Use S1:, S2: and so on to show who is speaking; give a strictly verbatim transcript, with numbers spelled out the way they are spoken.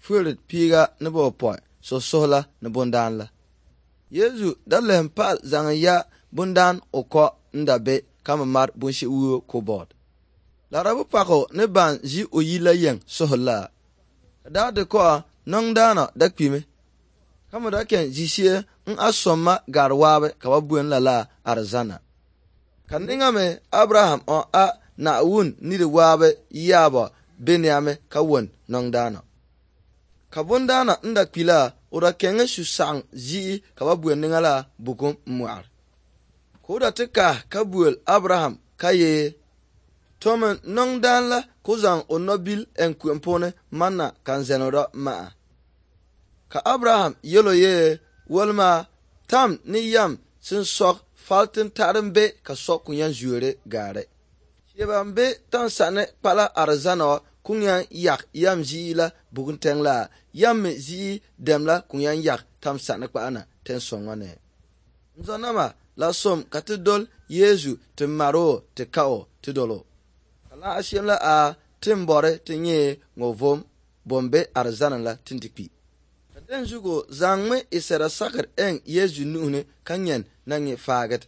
S1: Fuerit piiga ni bɔpɔi susuhi la ni bundaan la. Yezu da lehim pahal zaŋ ya bundaan o kɔ n-da be ka mi mari bunshɛɣu wuo kobɔd. Larabu pako ni ban ʒi o yi la yeŋ suhi la. Ka daa di kɔɣa nɔŋdaana da kpimi. Ka mi da kɛn ʒishee n a sɔmma gari waabi ka ba buen lala arizana. Ka niŋa mi Abraham o a Naawuni ni di waabi yaabɔ be niami ka won nɔŋdaana. Ka bundaana n da kpi la o da kɛŋɛ su saɣim ʒi'i ka ba buen niŋa la bukum mɔɣiri. Ka o da ti kahi ka buel Abraham ka yee tomi nɔŋdaan la ka o zaŋ o nɔbil en kuɣim puuni manna ka n zɛno dɔ ma'a. Ka Abraham yɛlo yee wolma tam ni yam sin sɔg faltin taɣarim be ka sɔg kunyan zuere gaari. Sheba n be tansani kpala arizana kunyan yak yam ʒii la bugun la yam mi ʒii dem la kunyan yak tam sani kpaana ten sɔŋɔ ne. N zɔnama la som ka ti dol Yezu ti maro ti kao ti dolo. Ka la ashem la a tin bɔri ti nyɛ ŋɔ vom bombe arizana la tin ti kpi. Ka den zugo zaŋmi isɛra sakir en Yezu nuhuni ka nyɛn na nyɛ faagit.